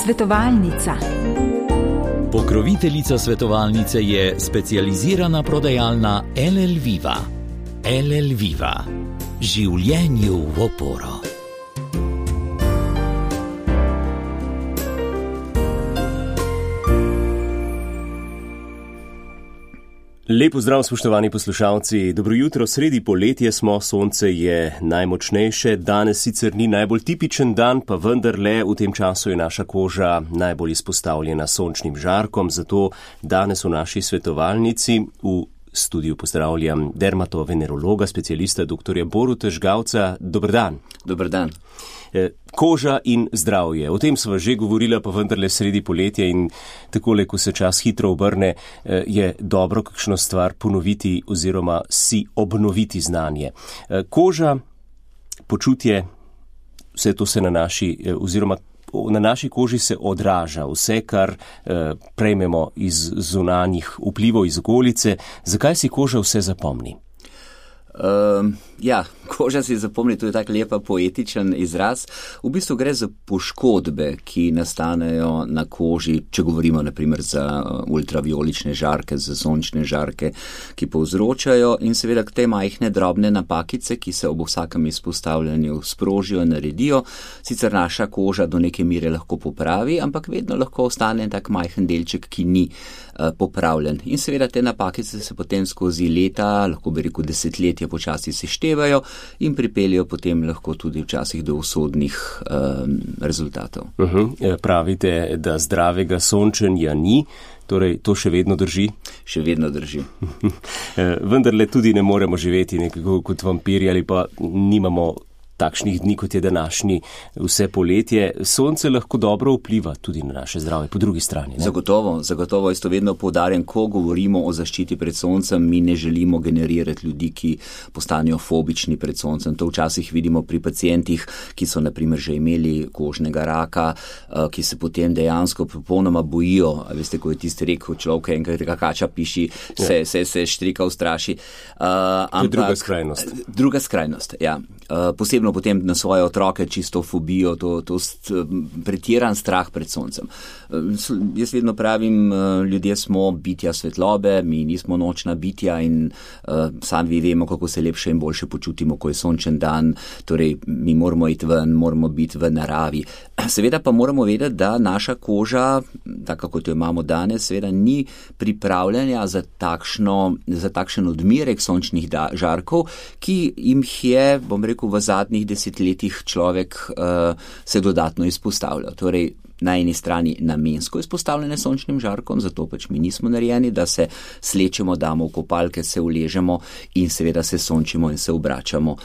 Svetovalnica. Pokroviteljica svetovalnice je specializirana prodajalna LL Viva. LL Viva. Življenju v oporo. Lepo zdrav, spoštovani poslušalci. Dobro jutro, sredi poletja smo, sonce je najmočnejše. Danes sicer ni najbolj tipičen dan, pa vendarle v tem času je naša koža najbolj izpostavljena sončnim žarkom. Zato danes v naši svetovalnici v studiu pozdravljam dermatovenerologa, specialista dr. Boruta Žgavca. Dober dan. Dober dan. Koža in zdravje. O tem sva že govorila, pa vendarle sredi poletja in takole, ko se čas hitro obrne, je dobro kakšno stvar ponoviti oziroma si obnoviti znanje. Koža, počutje, vse to se na naši koži se odraža, vse, kar prejmemo iz zunanjih vplivov, iz okolice. Zakaj si koža vse zapomni? Koža si zapomni, to je tak lepa poetičen izraz. V bistvu gre za poškodbe, ki nastanejo na koži, če govorimo naprimer za ultraviolične žarke, za sončne žarke, ki povzročajo in seveda te majhne drobne napakice, ki se ob vsakem izpostavljanju sprožijo, naredijo. Sicer naša koža do neke mere lahko popravi, ampak vedno lahko ostane tak majhen delček, ki ni popravljen. In seveda te napakice se potem skozi leta, lahko bi rekel desetletja, počasi seštevajo in pripeljajo potem lahko tudi včasih do usodnih rezultatov. Pravite, da zdravega sončenja ni, torej to še vedno drži? Še vedno drži. Vendarle tudi ne moremo živeti nekako kot vampiri ali pa nimamo takšnih dni, kot je današnji vse poletje. Sonce lahko dobro vpliva tudi na naše zdravje, po drugi strani. Ne? Zagotovo, jaz to vedno poudarjam, ko govorimo o zaščiti pred soncem, mi ne želimo generirati ljudi, ki postanejo fobični pred soncem. To včasih vidimo pri pacientih, ki so naprimer že imeli kožnega raka, ki se potem dejansko popolnoma bojijo. Veste, ko je tisti rekel človek, enkrat kača piši, se štrika ustraši. Druga skrajnost. Druga skrajnost, ja. Posebno potem na svoje otroke čisto fobijo, to pretiran strah pred soncem. Jaz vedno pravim, ljudje smo bitja svetlobe, mi nismo nočna bitja in sami vemo, kako se lepše in boljše počutimo, ko je sončen dan, torej mi moramo iti ven, moramo biti v naravi. Seveda pa moramo vedeti, da naša koža, tako kot jo imamo danes, seveda ni pripravljena za takšen odmerek sončnih žarkov, ki jim je, bom rekel, v zadnjih desetletjih človek se dodatno izpostavlja. Torej, na eni strani namensko izpostavljene sončnim žarkom, zato pač mi nismo narejeni, da se slečemo, damo v kopalke, se uležemo in seveda se sončimo in se obračamo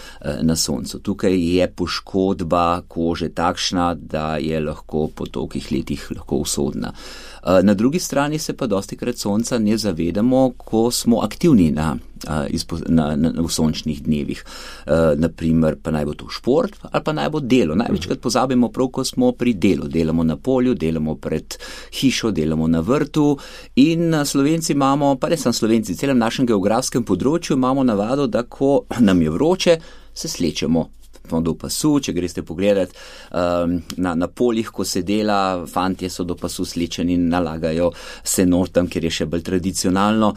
na soncu. Tukaj je poškodba kože takšna, da je lahko po tolikih letih lahko usodna. Na drugi strani se pa dostikrat sonca ne zavedamo, ko smo aktivni v sončnih dnevih. Naprimer, pa naj bo to šport ali pa naj bo delo. Največkrat pozabimo prav, ko smo pri delu. Delamo na polju, delamo pred hišo, delamo na vrtu in Slovenci imamo, pa ne samo Slovenci, celem našem geografskem področju imamo navado, da ko nam je vroče, se slečemo do pasu. Če greste pogledat na poljih, ko se dela, fantje so do pasu slečeni in nalagajo se notam, ker je še bolj tradicionalno.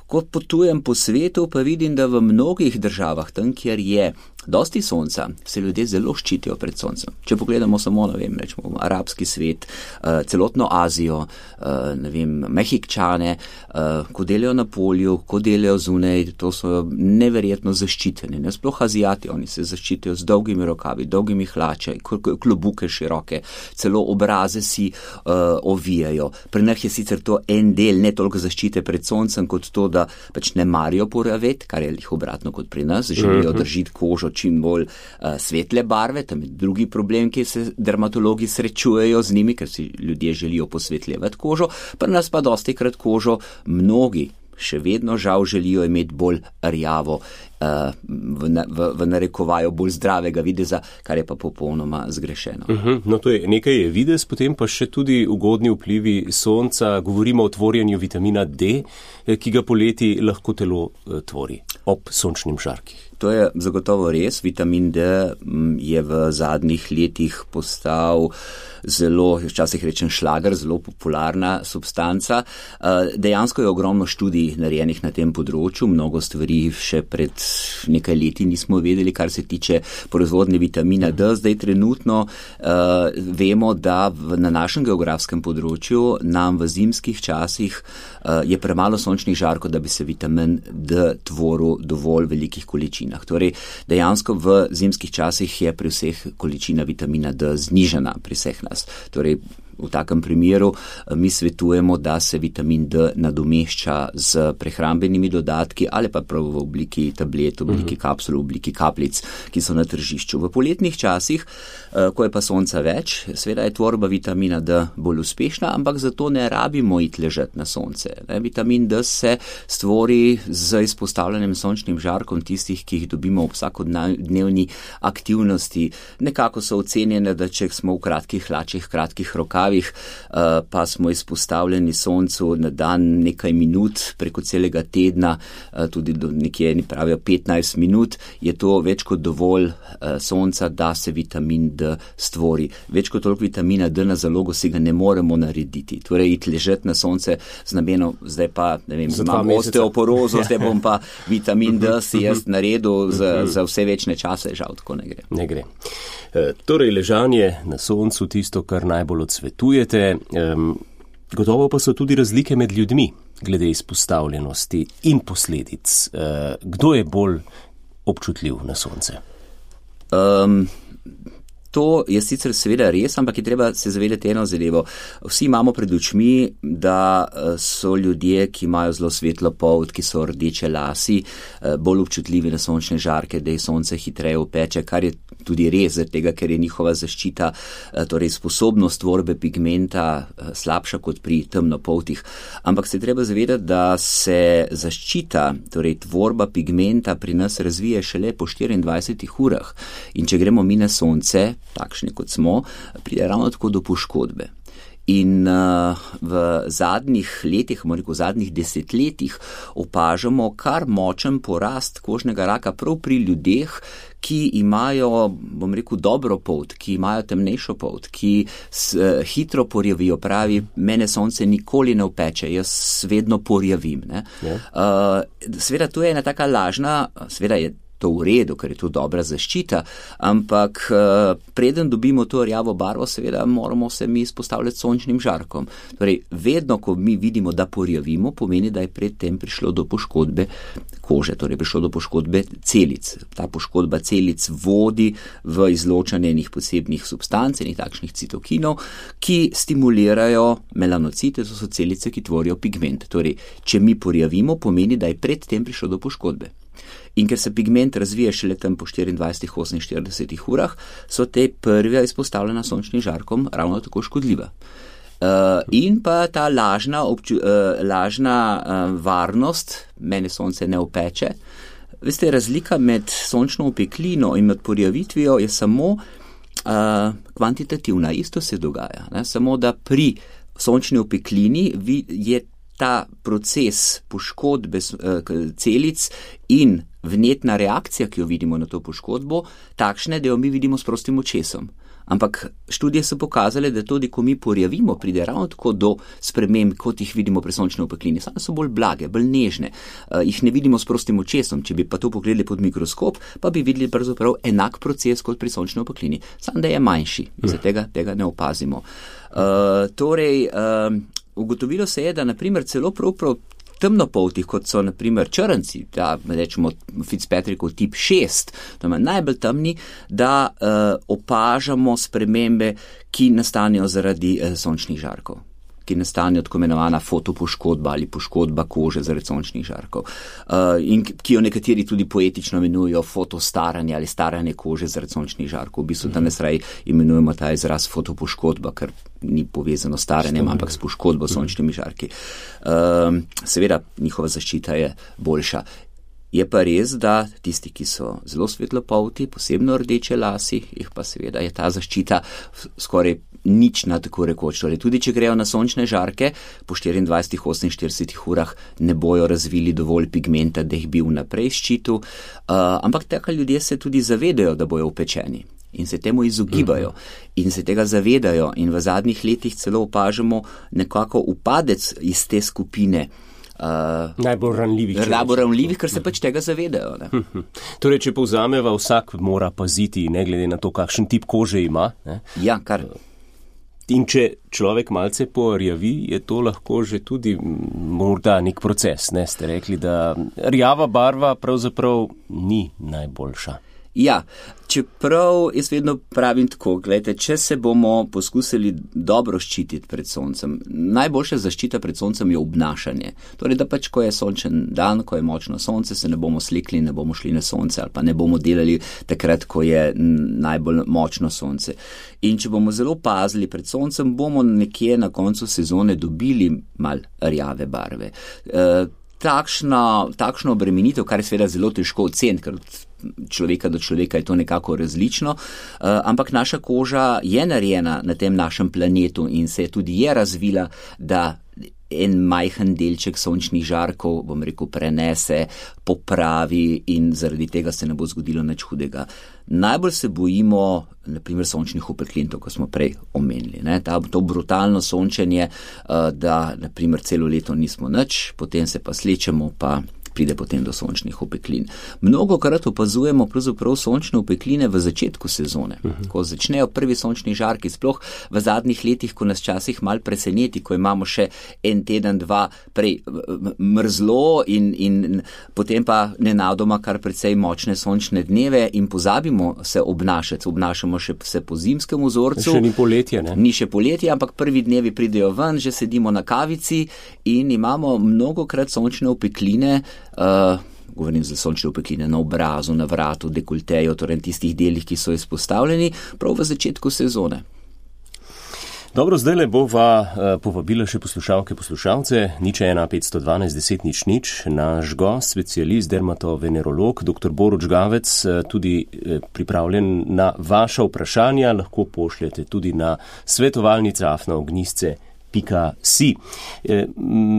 Ko potujem po svetu, pa vidim, da v mnogih državah, tam, kjer je dosti sonca, se ljudje zelo ščitijo pred soncem. Če pogledamo samo, rečemo, arabski svet, celotno Azijo, Mehikčane, ko delajo na polju, ko delajo zunaj, to so neverjetno zaščiteni. Sploh Azijati, oni se zaščitijo z dolgimi rokavi, dolgimi hlače, klobuke široke, celo obraze si ovijajo. Pri njih je sicer to en del, ne toliko zaščite pred soncem, kot to, da pač ne marijo poravet, kar je jih obratno kot pri nas, želijo držiti kožo čim bolj svetle barve, tam je drugi problem, ki se dermatologi srečujejo z njimi, ker si ljudje želijo posvetljevati kožo, pri nas pa dostikrat kožo mnogi še vedno žal želijo imeti bolj rjavo, v narekovaju bolj zdravega videza, kar je pa popolnoma zgrešeno. No, to je nekaj je videz, potem pa še tudi ugodni vplivi sonca. Govorimo o tvorjenju vitamina D, ki ga poleti lahko telo tvori ob sončnim žarkih. To je zagotovo res. Vitamin D je v zadnjih letih postal zelo, včasih rečem šlager, zelo popularna substanca. Dejansko je ogromno študij narejenih na tem področju, mnogo stvari še pred nekaj leti nismo vedeli, kar se tiče proizvodnje vitamina D. Zdaj trenutno vemo, da na našem geografskem področju nam v zimskih časih je premalo sončnih žarkov, da bi se vitamin D tvoril dovolj velikih količinah. Torej, dejansko v zimskih časih je pri vseh količina vitamina D znižana pri vseh nas. Torej, v takem primeru mi svetujemo, da se vitamin D nadomešča z prehrambenimi dodatki ali pa prav v obliki tablet, v obliki kapsul, v obliki kapljic, ki so na tržišču. V poletnih časih, ko je pa sonca več, seveda je tvorba vitamina D bolj uspešna, ampak zato ne rabimo iti ležati na sonce. Vitamin D se stvori z izpostavljanjem sončnim žarkom tistih, ki jih dobimo v vsakodnevni aktivnosti. Nekako so ocenjene, da če smo v kratkih hlačih, kratkih rokavih, pa smo izpostavljeni soncu na dan nekaj minut preko celega tedna, tudi do nekje pravijo 15 minut, je to več kot dovolj sonca, da se vitamin D stvori. Več kot toliko vitamina D na zalogo si ga ne moremo narediti. Torej, iti ležati na sonce z namenom, zdaj pa, ne vem, imam osteoporozo, zdaj bom pa vitamin D si jaz naredil za vse večne čase, žal tako ne gre. Ne gre. Torej, ležanje na soncu, tisto, kar najbolj odsvetujete. Gotovo pa so tudi razlike med ljudmi glede izpostavljenosti in posledic. Kdo je bolj občutljiv na sonce? To je sicer seveda res, ampak je treba se zavedati eno zadevo. Vsi imamo pred očmi, da so ljudje, ki imajo zelo svetlo polt, ki so rdeče lasi, bolj občutljivi na sončne žarke, da jih sonce hitreje opeče, kar je tudi res, tega, ker je njihova zaščita, torej sposobnost tvorbe pigmenta slabša kot pri temnopoltih. Ampak se treba zavedati, da se zaščita, torej tvorba pigmenta pri nas razvije šele po 24 urah. In če gremo mi na sonce, takšni kot smo, pride ravno tako do poškodbe. In v zadnjih letih, v zadnjih desetletjih opažamo kar močen porast kožnega raka prav pri ljudeh, ki imajo, bom rekel, dobro polt, ki imajo temnejšo polt, ki hitro porjavijo, pravi, mene sonce nikoli ne opeče, jaz vedno porjavim. Seveda to je ena taka lažna, seveda je to v redu, ker je to dobra zaščita, ampak preden dobimo to rjavo barvo, seveda moramo se mi izpostavljati sončnim žarkom. Torej, vedno, ko mi vidimo, da porjavimo, pomeni, da je predtem prišlo do poškodbe kože, torej prišlo do poškodbe celic. Ta poškodba celic vodi v izločanje enih posebnih substanc, enih takšnih citokinov, ki stimulirajo melanocite, to so celice, ki tvorijo pigment. Torej, če mi porjavimo, pomeni, da je predtem prišlo do poškodbe. In ker se pigment razvije šele tam po 24-48 urah, so te prve izpostavljena sončnim žarkom ravno tako škodljiva. In pa ta lažna varnost, mene sonce ne opeče. Veste, razlika med sončno opeklino in med porjavitvijo je samo kvantitativna, isto se dogaja. Samo da pri sončni opeklini je ta proces poškodbe celic in vnetna reakcija, ki jo vidimo na to poškodbo, takšne, da jo mi vidimo s prostim očesom. Ampak študije so pokazale, da tudi, ko mi porjavimo, pride ravno tako do sprememb, kot jih vidimo pri sončni opeklini. Same so bolj blage, bolj nežne. Jih ne vidimo s prostim očesom. Če bi pa to pogledali pod mikroskop, pa bi videli pravzaprav enak proces kot pri sončni opeklini. Samo da je manjši. Tega ne opazimo. Ugotovilo se je, da naprimer celo prav temnopoltih, kot so naprimer črnci, rečemo Fitzpatrickov tip 6, to je najbolj temni, da opažamo spremembe, ki nastanejo zaradi sončnih žarkov, ki nastanejo tako imenovana fotopoškodba ali poškodba kože zaradi sončnih žarkov. In ki jo nekateri tudi poetično imenujejo fotostaranje ali staranje kože zaradi sončnih žarkov. V bistvu danes raje imenujemo ta izraz fotopoškodba, ker ni povezano s staranjem, ampak s poškodbo sončnimi žarki. Seveda njihova zaščita je boljša. Je pa res, da tisti, ki so zelo svetlopolti, posebno rdeče lasi, jih pa seveda je ta zaščita skoraj nična, tako rekoč. Torej, tudi če grejo na sončne žarke, po 24-48 urah ne bojo razvili dovolj pigmenta, da jih bi vnaprej ščitil, ampak tako ljudje se tudi zavedajo, da bojo upečeni. In se temu izogibajo in se tega zavedajo in v zadnjih letih celo opažamo nekako upadec iz te skupine najbolj ranljivih, ker se pač tega zavedajo. Ne? Torej, če povzameva, vsak mora paziti, ne glede na to, kakšen tip kože ima. Ne? Ja, kar. In če človek malce porjavi, je to lahko že tudi morda nek proces. Ne? Ste rekli, da rjava barva pravzaprav ni najboljša. Ja, čeprav jaz vedno pravim tako, gledajte, če se bomo poskusili dobro ščititi pred soncem, najboljša zaščita pred soncem je obnašanje. Torej, da pač, ko je sončen dan, ko je močno sonce, se ne bomo slekli, ne bomo šli na sonce ali pa ne bomo delali takrat, ko je najbolj močno sonce. In če bomo zelo pazili pred soncem, bomo nekje na koncu sezone dobili mal rjave barve. Takšno obremenitev, kar je seveda zelo težko oceniti, ker človeka do človeka je to nekako različno, ampak naša koža je narejena na tem našem planetu in se tudi je razvila, da en majhen delček sončnih žarkov, bom rekel, prenese, popravi in zaradi tega se ne bo zgodilo nič hudega. Najbolj se bojimo, naprimer, sončnih opeklin, to, ko smo prej omenili. Ne? To brutalno sončenje, da, naprimer, celo leto nismo nič, potem se pa slečemo, pa pride potem do sončnih opeklin. Mnogokrat opazujemo pravzaprav sončne opekline v začetku sezone, ko začnejo prvi sončni žarki, sploh v zadnjih letih, ko nas časih mal preseneti, ko imamo še en teden, dva prej mrzlo in potem pa nenadoma kar precej močne sončne dneve in pozabimo se obnašati, obnašamo še se po zimskem vzorcu. Še ni poletje, ne? Ni še poletje, ampak prvi dnevi pridejo ven, že sedimo na kavici in imamo mnogokrat sončne opekline, govorim za sončne opekline na obrazu, na vratu, dekolteju, torej tistih delih, ki so izpostavljeni prav v začetku sezone. Dobro, zdaj le bova povabila še poslušalce, 015121000, naš gost, specialist, dermatovenerolog, dr. Borut Žgavec, tudi pripravljen na vaša vprašanja, lahko pošljete tudi na svetovalnica@ognisce.si.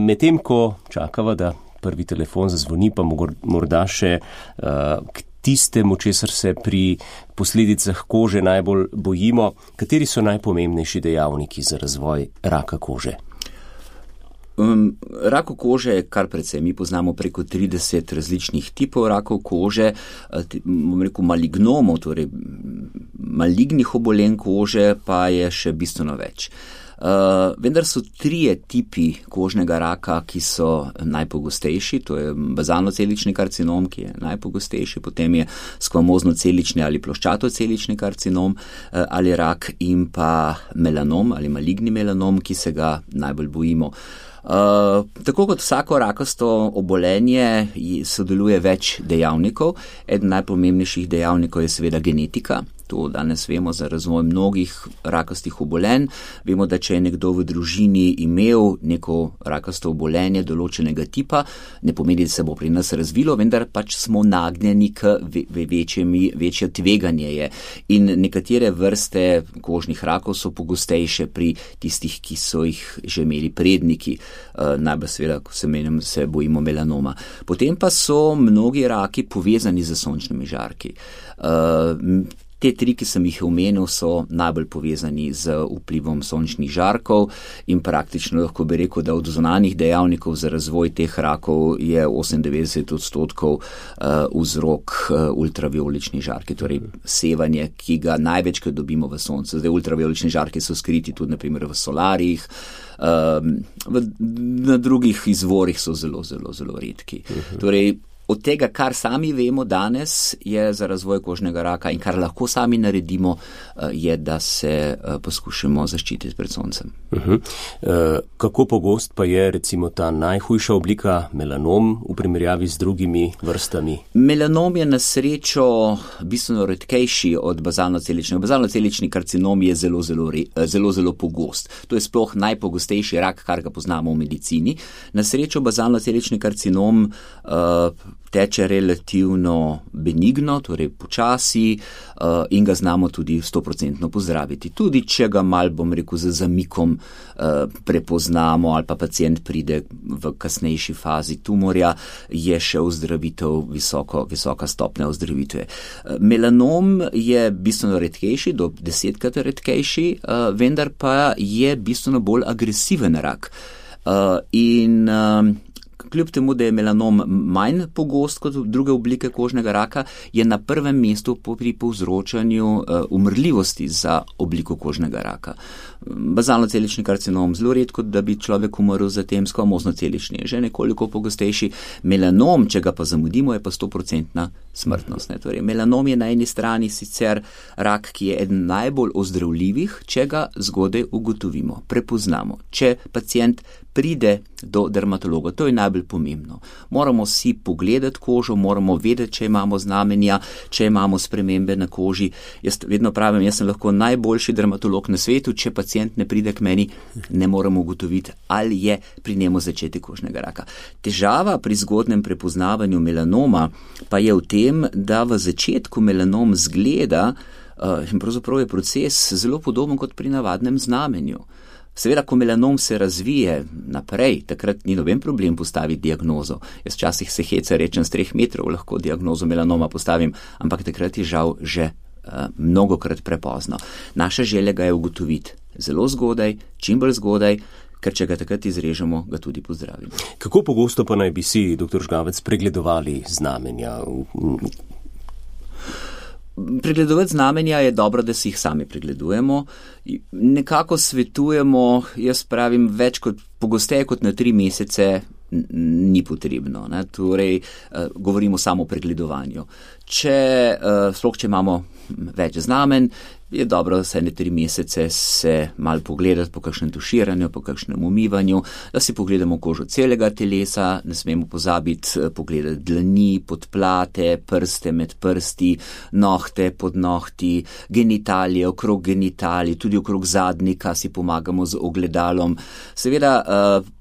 Medtem ko čakava, da prvi telefon zazvoni, pa morda še k tistemu, česar se pri posledicah kože najbolj bojimo. Kateri so najpomembnejši dejavniki za razvoj raka kože? Rakov kože je kar precej. Mi poznamo preko 30 različnih tipov rakov kože, bom rekel malignomov, torej malignih obolenj kože pa je še bistveno več. Vendar so 3 tipi kožnega raka, ki so najpogostejši, to je bazalno-celični karcinom, ki je najpogostejši, potem je skvamozno-celični ali ploščato-celični karcinom ali rak in pa melanom ali maligni melanom, ki se ga najbolj bojimo. Tako kot vsako rakasto obolenje sodeluje več dejavnikov. Eden najpomembnejših dejavnikov je seveda genetika. To danes vemo za razvoj mnogih rakastih obolenj. Vemo, da če je nekdo v družini imel neko rakasto obolenje določenega tipa, ne pomeni, da se bo pri nas razvilo, vendar pač smo nagnjeni k večje tveganje je. In nekatere vrste kožnih rakov so pogostejše pri tistih, ki so jih že imeli predniki. Najbolj seveda, ko se bojimo melanoma. Potem pa so mnogi raki povezani z sončnimi žarki. Te 3, ki sem jih omenil, so najbolj povezani z vplivom sončnih žarkov in praktično lahko bi rekel, da od zunanjih dejavnikov za razvoj teh rakov je 98% vzrok ultraviolični žarki, torej sevanje, ki ga največkrat dobimo v soncu. Zdaj ultraviolični žarki so skriti tudi naprimer v solarjih, na drugih izvorih so zelo, zelo, zelo redki. Torej, od tega, kar sami vemo danes, je za razvoj kožnega raka in kar lahko sami naredimo, je, da se poskušamo zaščititi pred soncem. Kako pogost pa je recimo ta najhujša oblika melanom v primerjavi z drugimi vrstami? Melanom je na srečo bistveno redkejši od bazalno-celičnega. Bazalno-celični karcinom je zelo, zelo pogost. To je sploh najpogostejši rak, kar ga poznamo v medicini. Na srečo bazalno-celični karcinom teče relativno benigno, torej počasi in ga znamo tudi 100% pozdraviti. Tudi če ga mal, bom rekel, z zamikom prepoznamo ali pa pacient pride v kasnejši fazi tumorja, je še ozdravitev visoka stopnja ozdravitve. Melanom je bistveno redkejši, do 10-krat redkejši, vendar pa je bistveno bolj agresiven rak. In kljub temu, da je melanom manj pogost kot druge oblike kožnega raka, je na prvem mestu pri povzročanju umrljivosti za obliko kožnega raka. Bazalno-celični karcinom zelo redko, da bi človek umrl za tem, squamozno-celični je že nekoliko pogostejši. Melanom, če ga pa zamudimo, je pa 100% smrtnost. Torej, melanom je na eni strani sicer rak, ki je eden najbolj ozdravljivih, če ga zgodaj ugotovimo, prepoznamo. Če pacient pride do dermatologa, to je najbolj pomembno. Moramo si pogledati kožo, moramo vedeti, če imamo znamenja, če imamo spremembe na koži. Jaz vedno pravim, jaz sem lahko najboljši dermatolog na svetu, če pacient ne pride k meni, ne moremo ugotoviti, ali je pri njemu začetek kožnega raka. Težava pri zgodnem prepoznavanju melanoma pa je v tem, da v začetku melanom zgleda in pravzaprav je proces zelo podoben kot pri navadnem znamenju. Seveda, ko melanom se razvije naprej, takrat ni noben problem postaviti diagnozo. Jaz včasih se heca rečem, z 3 metrov lahko diagnozo melanoma postavim, ampak takrat je žal že mnogokrat prepozno. Naša želja ga je ugotoviti zelo zgodaj, čim bolj zgodaj, ker če ga takrat izrežemo, ga tudi pozdravimo. Kako pogosto pa naj bi si, dr. Žgavec, pregledovali znamenja? Pregledovati znamenja je dobro, da si jih sami pregledujemo. Nekako svetujemo, jaz pravim, več kot pogosteje kot na 3 mesece ni potrebno. Torej, govorimo samo o pregledovanju. Sploh, če imamo več znamen, je dobro vsaj na 3 mesece se malo pogledati po kakšnem tuširanju, po kakšnem umivanju, da si pogledamo kožo celega telesa, ne smemo pozabiti pogledati dlani, podplate, prste med prsti, nohte pod nohti, genitalije, okrog genitalij, tudi okrog zadnika si pomagamo z ogledalom. Seveda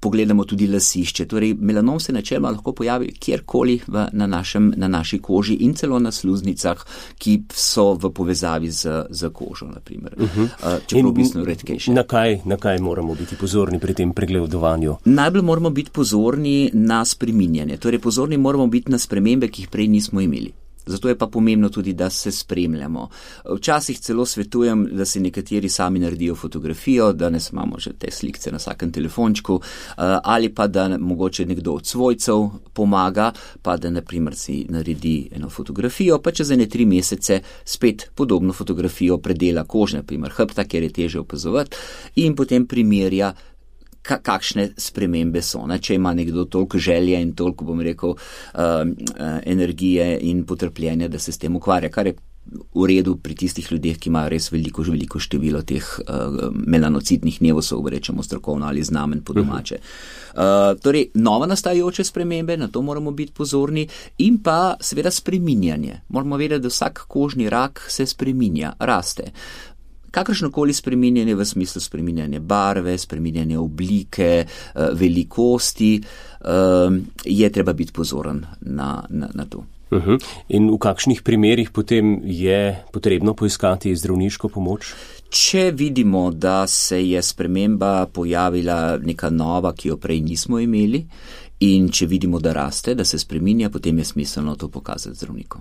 pogledamo tudi lasišče. Torej, melanom se načeloma lahko pojavi kjerkoli na naši koži in celo na sluznicah, ki so v povezavi z kožo, na primer. Čeprav bistveno redkejše. Na kaj moramo biti pozorni pri tem pregledovanju? Najbolj moramo biti pozorni na spreminjanje. Torej, pozorni moramo biti na spremembe, ki jih prej nismo imeli. Zato je pa pomembno tudi, da se spremljamo. Včasih celo svetujem, da si nekateri sami naredijo fotografijo, danes imamo že te slikce na vsakem telefončku, ali pa da mogoče nekdo od svojcev pomaga, pa da na primer si naredi eno fotografijo, pa čez 3 mesece spet podobno fotografijo predela kože, na primer hrbta, kjer je težje opazovati, in potem primerja, kakšne spremembe so. Če ima nekdo toliko želje in toliko, bom rekel, energije in potrpljenja, da se s tem ukvarja, kar je v redu pri tistih ljudeh, ki imajo res veliko število teh melanocitnih nevosov, rečemo strokovno, ali znamen po domače. Torej, nova nastajajoče spremembe, na to moramo biti pozorni, in pa seveda spreminjanje. Moramo vedeti, da vsak kožni rak se spreminja, raste. Kakršnokoli spreminjanje v smislu spreminjanja barve, spreminjanja oblike, velikosti, je treba biti pozoren na to. In v kakšnih primerih potem je potrebno poiskati zdravniško pomoč? Če vidimo, da se je sprememba pojavila neka nova, ki jo prej nismo imeli, in če vidimo, da raste, da se spreminja, potem je smiselno to pokazati zdravniku.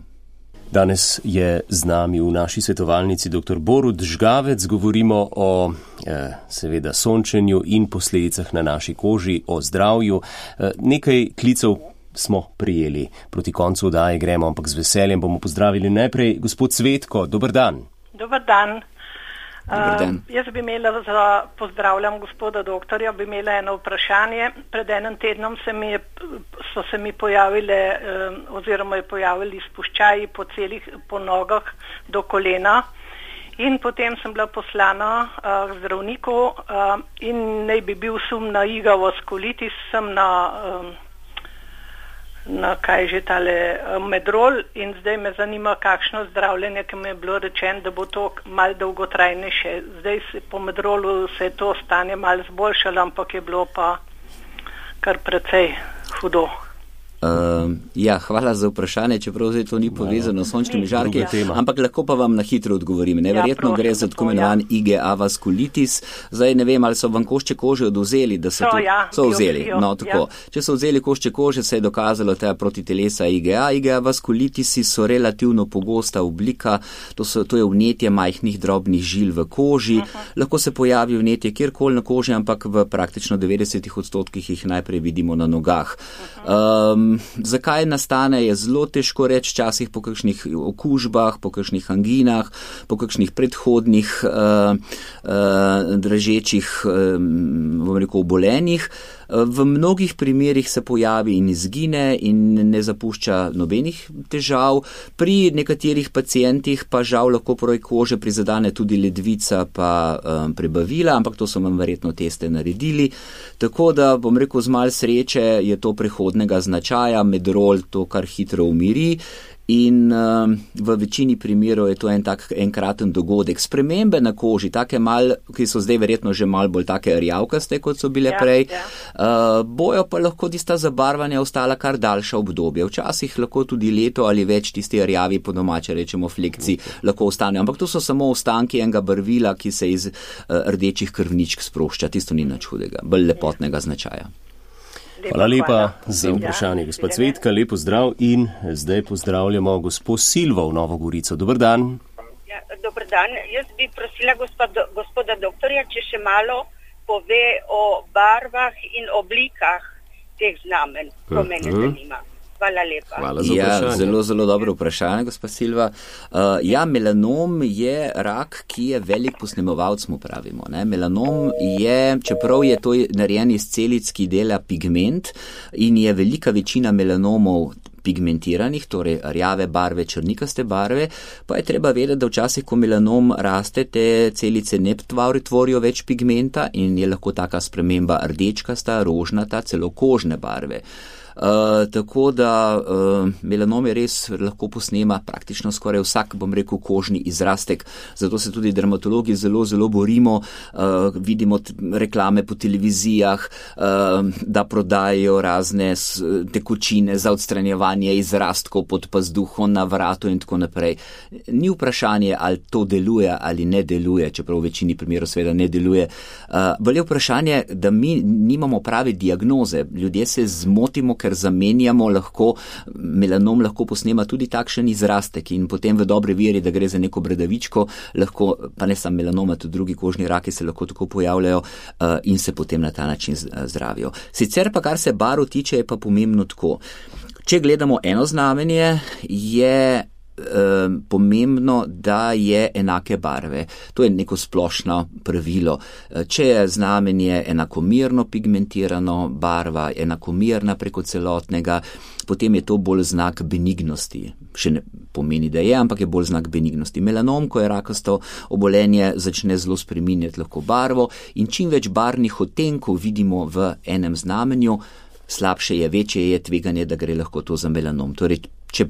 Danes je z nami v naši svetovalnici dr. Borut Žgavec. Govorimo o seveda sončenju in posledicah na naši koži, o zdravju. Nekaj klicev smo prijeli. Proti koncu oddaje gremo, ampak z veseljem bomo pozdravili najprej gospod Cvetko. Dober dan. Dober dan. Jaz bi imela, pozdravljam gospoda doktorja, bi imela eno vprašanje. Pred enim tednom so se mi pojavile, oziroma je pojavili spuščaji po nogah do kolena, in potem sem bila poslana k zdravniku in naj bi bil sum na igavoskolitis, sem na kaj že tale medrol, in zdaj me zanima, kakšno zdravljenje, ki mi je bilo rečeno, da bo to malo dolgotrajnejše. Zdaj po medrolu se je to stanje malo zboljšalo, ampak je bilo pa kar precej hudo. Hvala za vprašanje, čeprav zdaj to ni povezano s sončnimi žarki, ampak lahko pa vam na hitro odgovorim. Neverjetno gre za tako imenovan IgA vaskulitis. Zdaj ne vem, ali so vam košče kože odvzeli, da so vzeli. No, tako. Če so vzeli košče kože, se je dokazalo ta protitelesa IgA. IgA vaskulitisi so relativno pogosta oblika, to je vnetje majhnih drobnih žil v koži. Lahko se pojavi vnetje kjerkoli na koži, ampak v praktično 90% jih najprej vidimo na nogah. Zakaj nastane, je zelo težko reči, včasih po kakšnih okužbah, po kakšnih anginah, po kakšnih predhodnih dražečih, obolenjih. V mnogih primerih se pojavi in izgine in ne zapušča nobenih težav. Pri nekaterih pacientih pa žal lahko proj kože prizadane tudi ledvica pa prebavila, ampak to so vam verjetno teste naredili. Tako da, z malo sreče je to prehodnega značaja, medrol to kar hitro umiri. In v večini primerov je to enkraten dogodek. Spremembe na koži, take ki so zdaj verjetno že malo bolj take rjavkaste, kot so bile prej, bojo pa lahko tista zabarvanja ostala kar daljša obdobje. Včasih lahko tudi leto ali več tisti rjavi, po domače rečemo flekci, lahko ostanejo. Ampak to so samo ostanki enega barvila, ki se iz rdečih krvničk sprošča. Tisto ni nič hudega, bolj lepotnega značaja. Hvala lepa za vprašanje, gospod Cvetka, lepo zdrav in zdaj pozdravljamo gospod Silvo v Novo Gorico. Dober dan. Dober dan. Jaz bi prosila gospoda doktorja, če še malo pove o barvah in oblikah teh znamen, ko mene zanima. Hvala lepa. Hvala za vprašanje. Zelo, zelo dobro vprašanje, gospa Silva. Melanom je rak, ki je velik posnemovalc, mu pravimo. Ne? Melanom je, čeprav je to narejen iz celic, ki dela pigment in je velika večina melanomov pigmentiranih, torej rjave barve, črnikaste barve, pa je treba vedeti, da včasih, ko melanom raste, te celice ne tvorijo več pigmenta in je lahko taka sprememba rdečkasta, rožnata, celo kožne barve. Tako da melanom je res lahko posnema praktično skoraj vsak, kožni izrastek. Zato se tudi dermatologi zelo, zelo borimo. Vidimo reklame po televizijah, da prodajajo razne tekočine za odstranjevanje izrastkov pod pazduho na vratu in tako naprej. Ni vprašanje, ali to deluje ali ne deluje, čeprav v večini primerov seveda ne deluje. Bolje vprašanje, da mi nimamo prave diagnoze. Ljudje se zmotimo, ker zamenjamo melanom lahko posnema tudi takšen izrastek in potem v dobre veri, da gre za neko bradavičko, lahko, pa ne samo melanoma, tudi drugi kožni raki se lahko tako pojavljajo in se potem na ta način zdravijo. Sicer pa, kar se barv tiče, je pa pomembno tako. Če gledamo eno znamenje, je pomembno, da je enake barve. To je neko splošno pravilo. Če je znamenje enakomerno pigmentirano, barva enakomerna preko celotnega, potem je to bolj znak benignosti. Še ne pomeni, da je, ampak je bolj znak benignosti. Melanom, ko je rakasto obolenje, začne zelo spreminjati lahko barvo in čim več barvnih odtenkov vidimo v enem znamenju, slabše je, večje je tveganje, da gre lahko to za melanom. Torej, če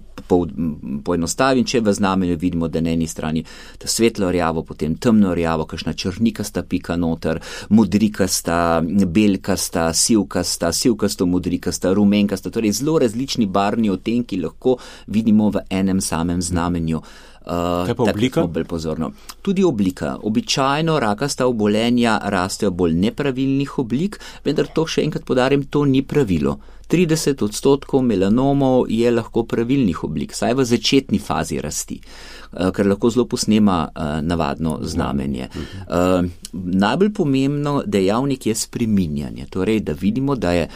poenostavim, če v znamenju vidimo, da na eni strani svetlo rjavo, potem temno rjavo, kakšna črnikasta pika noter, modrikasta, belkasta, sivkasto modrikasta, rumenkasta, torej zelo različni barvni odtenki lahko vidimo v enem samem znamenju. Kaj pa oblika? Tudi oblika. Običajno rakasta obolenja rastejo bolj nepravilnih oblik, vendar to še enkrat podarim, to ni pravilo. 30% melanomov je lahko pravilnih oblik, saj v začetni fazi rasti, ker lahko zelo posnema navadno znamenje. Najbolj pomembno dejavnik je spreminjanje, torej da vidimo, da je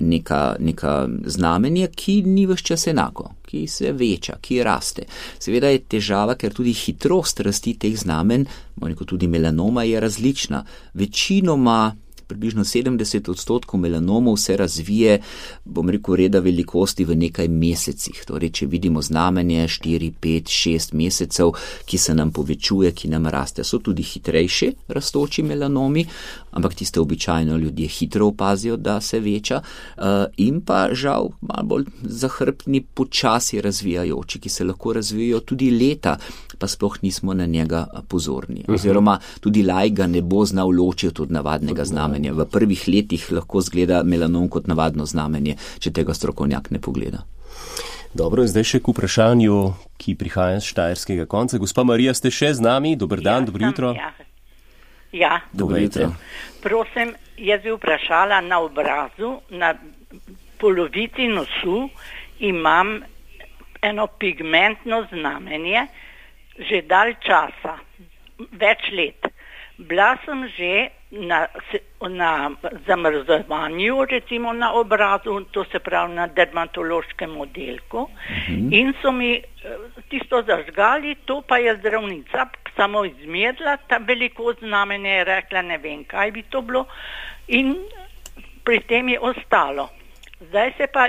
neka znamenje, ki ni ves čas enako, ki se veča, ki raste. Seveda je težava, ker tudi hitrost rasti teh znamen, tudi melanoma je različna. Večinoma približno 70% melanomov se razvije, reda velikosti v nekaj mesecih. Torej, če vidimo znamenje 4, 5, 6 mesecev, ki se nam povečuje, ki nam raste. So tudi hitrejši rastoči melanomi, ampak tiste običajno ljudje hitro opazijo, da se veča, in pa žal malo bolj zahrbtni, počasi razvijajoči, ki se lahko razvijajo tudi leta, pa sploh nismo na njega pozorni. Oziroma tudi laik ga ne bo znal ločiti od navadnega znamenja. znamenje. V prvih letih lahko zgleda melanom kot navadno znamenje, če tega strokovnjak ne pogleda. Dobro, zdaj še k vprašanju, ki prihaja z štajerskega konca. Gospa Marija, ste še z nami? Dober dan, dobro jutro. Ja. Dobro jutro. Prosim, jaz bi vprašala na obrazu, na polovici nosu imam eno pigmentno znamenje, že dalj časa, več let. Bila sem že na zamrzovanju, recimo na obrazu, to se pravi na dermatološkem oddelku, in so mi tisto zažgali, to pa je zdravnica samo izmerila, ta velikost znamenja je rekla, ne vem, kaj bi to bilo, in pri tem je ostalo. Zdaj se pa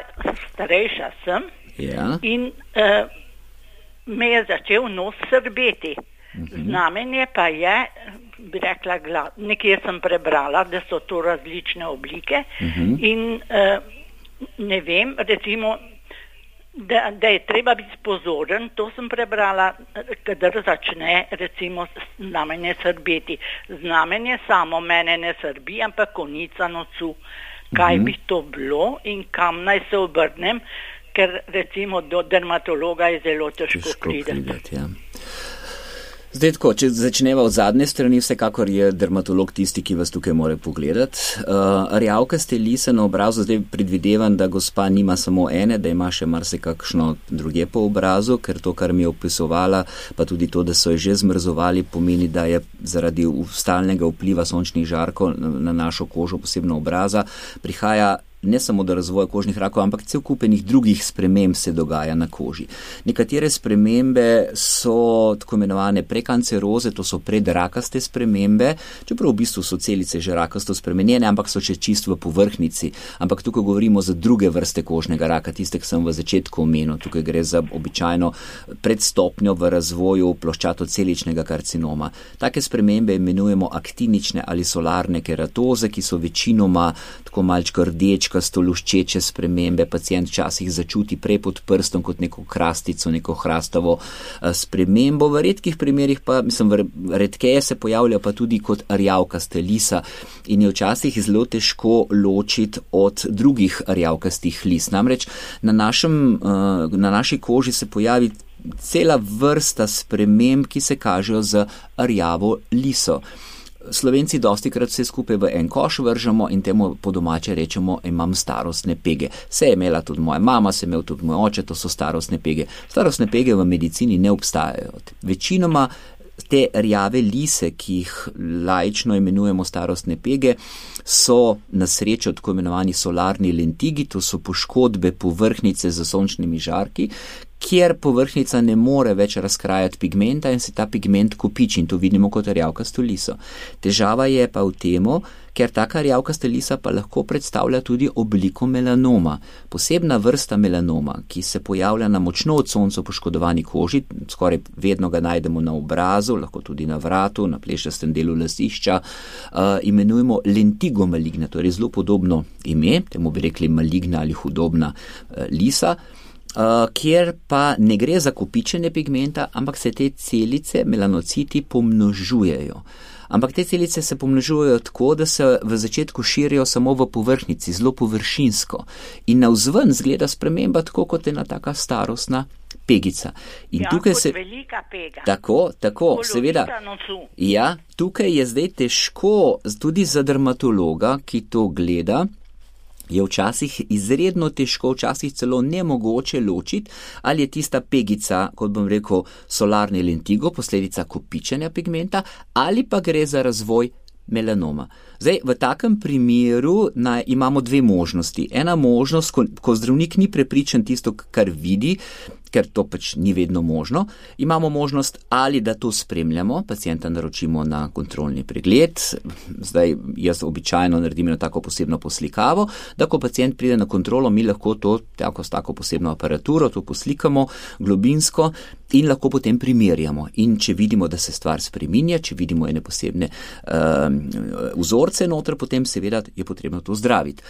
starejša sem in me je začel nos srbeti. Znamenje pa je, bi rekla, nekje sem prebrala, da so to različne oblike in ne vem, recimo, da je treba biti pozoren, to sem prebrala, kadar začne recimo znamenje srbeti. Znamenje samo mene ne srbi, ampak konica nosu. Kaj bi to bilo in kam naj se obrnem, ker recimo do dermatologa je zelo težko prideti. Zdaj tako, če začneva od zadnje strani, vsekakor je dermatolog tisti, ki vas tukaj more pogledati. Rjavkaste lise na obrazu, zdaj predvidevam, da gospa nima samo ene, da ima še marsikakšno druge po obrazu, ker to, kar mi je opisovala, pa tudi to, da so jo že zmrzovali, pomeni, da je zaradi stalnega vpliva sončnih žarkov na našo kožo, posebno obraza, prihaja ne samo do razvoja kožnih rakov, ampak cel kupenih drugih sprememb se dogaja na koži. Nekatere spremembe so tako imenovane prekanceroze, to so predrakaste spremembe, čeprav v bistvu so celice že rakasto spremenjene, ampak so še čisto v povrhnjici. Ampak tukaj govorimo za druge vrste kožnega raka, tiste, ki sem v začetku omenil. Tukaj gre za običajno predstopnjo v razvoju ploščatoceličnega karcinoma. Take spremembe imenujemo aktinične ali solarne keratoze, ki so večinoma tako malčko rdečkasto luščeče spremembe. Pacient včasih začuti prej pod prstom kot neko krastico, neko hrastavo spremembo. V redkih primerih pa, redkeje se pojavlja pa tudi kot rjavkaste lisa in je včasih zelo težko ločiti od drugih rjavkastih lis. Namreč na naši koži se pojavi cela vrsta sprememb, ki se kažejo z rjavo liso. Slovenci dostikrat vse skupaj v en koš vržemo in temu po domače rečemo, imam starostne pege. Se je imela tudi moja mama, se je imel tudi moj oče, to so starostne pege. Starostne pege v medicini ne obstajajo. Večinoma te rjave lise, ki jih laično imenujemo starostne pege, so na srečo tako imenovani solarni lentigi, to so poškodbe povrhnjice z sončnimi žarki, kjer povrhnjica ne more več razkrajati pigmenta in se ta pigment kopiči in to vidimo kot rjavkasto liso. Težava je pa v temu, ker taka rjavkasta lisa pa lahko predstavlja tudi obliko melanoma. Posebna vrsta melanoma, ki se pojavlja na močno od sonca poškodovani koži, skoraj vedno ga najdemo na obrazu, lahko tudi na vratu, na plešastem delu lasišča, imenujemo lentigo maligna, to je zelo podobno ime, temu bi rekli maligna ali hudobna lisa, kjer pa ne gre za kopičenje pigmenta, ampak se te celice, melanociti, pomnožujejo. Ampak te celice se pomnožujejo tako, da se v začetku širijo samo v povrhnjici, zelo površinsko. In navzven zgleda sprememba tako, kot ena taka starostna pegica. In tukaj kot velika pega. Tako, seveda. Ja, tukaj je zdaj težko, tudi za dermatologa, ki to gleda, je včasih izredno težko, včasih celo nemogoče ločiti, ali je tista pegica, kot bom rekel, solarni lentigo, posledica kopičenja pigmenta, ali pa gre za razvoj melanoma. Zdaj, v takem primeru imamo dve možnosti. Ena možnost, ko zdravnik ni prepričan tisto, kar vidi, ker to pač ni vedno možno, imamo možnost ali da to spremljamo, pacienta naročimo na kontrolni pregled, zdaj jaz običajno naredim tako posebno poslikavo, da ko pacient pride na kontrolo, mi lahko to s tako posebno aparaturo, to poslikamo globinsko in lahko potem primerjamo. In če vidimo, da se stvar spreminja, če vidimo ene posebne vzorce noter, potem seveda je potrebno to zdraviti.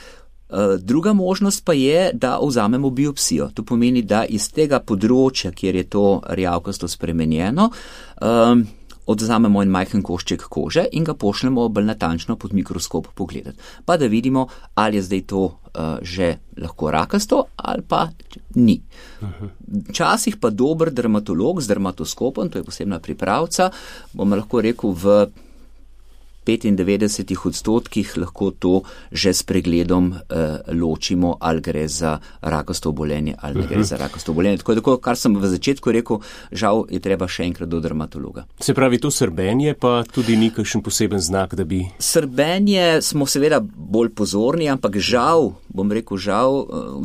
Druga možnost pa je, da vzamemo biopsijo. To pomeni, da iz tega področja, kjer je to rjavkasto spremenjeno, odzamemo en majhen košček kože in ga pošljemo bolj natančno pod mikroskop pogledati. Pa da vidimo, ali je zdaj to že lahko rakasto ali pa ni. Včasih pa dober dermatolog z dermatoskopom, to je posebna pripravca, bom lahko rekel v 95% lahko to že s pregledom ločimo, ali gre za rakasto obolenje ali ne gre za rakasto obolenje. Tako, kar sem v začetku rekel, žal je treba še enkrat do dermatologa. Se pravi, to srbenje pa tudi ni kakšen poseben znak, da bi... Srbenje smo seveda bolj pozorni, ampak žal,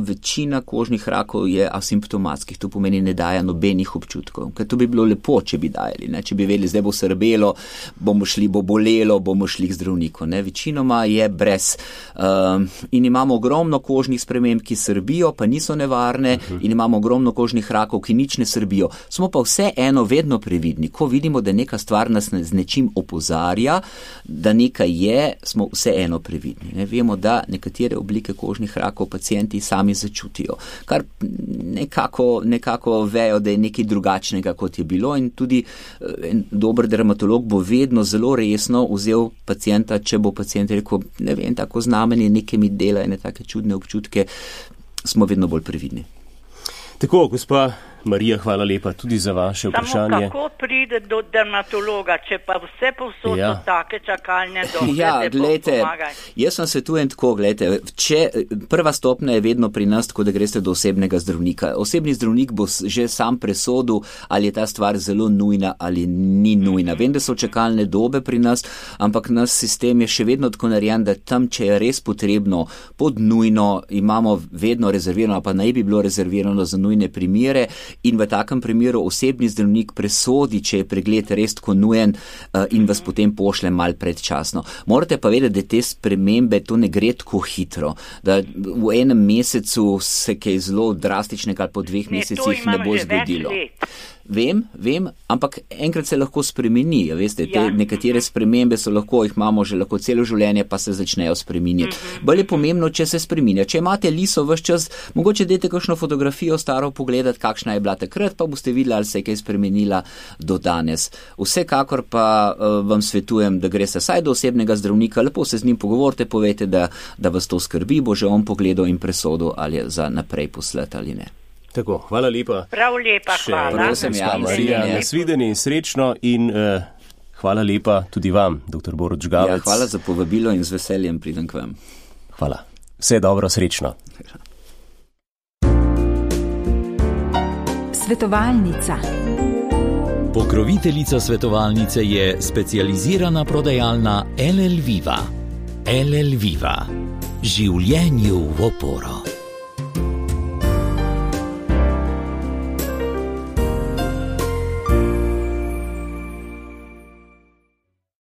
večina kožnih rakov je asimptomatskih. To pomeni, ne daja nobenih občutkov. Ker to bi bilo lepo, če bi dajali. Ne? Če bi vedeli, zdaj bo srbelo, bo bolelo, bomo šli k zdravniku. Ne? Večinoma je brez. In imamo ogromno kožnih sprememb, ki srbijo, pa niso nevarne, in imamo ogromno kožnih rakov, ki nič ne srbijo. Smo pa vseeno vedno previdni. Ko vidimo, da neka stvar nas z nečim opozarja, da nekaj je, smo vseeno previdni. Ne? Vemo, da nekatere oblike kožnih rakov pacienti sami začutijo, kar nekako vejo, da je nekaj drugačnega, kot je bilo, in tudi en dober dermatolog bo vedno zelo resno vzel pacienta, če bo pacient rekel, ne vem, tako znamenje, nekaj mi dela in take čudne občutke, smo vedno bolj previdni. Tako, gospa Marija, hvala lepa tudi za vaše vprašanje. Samo kako pride do dermatologa, če pa vse povsod so take čakalne dobe? Ja, glejte, jaz vam svetujem tako, glejte, prva stopnja je vedno pri nas tako, da greste do osebnega zdravnika. Osebni zdravnik bo že sam presodil, ali je ta stvar zelo nujna ali ni nujna. Vem, da so čakalne dobe pri nas, ampak naš sistem je še vedno tako narejen, da tam, če je res potrebno, pod nujno, imamo vedno rezervirano, pa naj bi bilo rezervirano za nujne primere, in v takem primeru osebni zdravnik presodi, če je pregled res tako nujen, in vas potem pošlje mal predčasno. Morate pa vedeti, da te spremembe, to ne gre tako hitro, da v enem mesecu se kaj zelo drastičnega ali po 2 mesecih ne bo zgodilo. Vem, ampak enkrat se lahko spremeni, veste, te nekatere spremembe so lahko, jih imamo že lahko celo življenje, pa se začnejo spreminjati. Bolj je pomembno, če se spreminja. Če imate liso ves čas, mogoče dajte kakšno fotografijo staro pogledati, kakšna je bila takrat, pa boste videli, ali se je kaj spremenila do danes. Vsekakor pa vam svetujem, da greste vsaj do osebnega zdravnika, lepo se z njim pogovorite, povejte, da vas to skrbi, bo že on pogledal in presodil, ali je za naprej poslati ali ne. Tako, hvala lepa. Prav lepa, hvala. Marija, nasvidenje in srečno in hvala lepa tudi vam, dr. Borut Žgavec. Ja, hvala za povabilo in z veseljem pridem k vam. Hvala. Vse dobro, srečno. Svetovalnica. Pokroviteljica svetovalnice je specializirana prodajalna LL Viva. LL Viva. Življenju v oporo.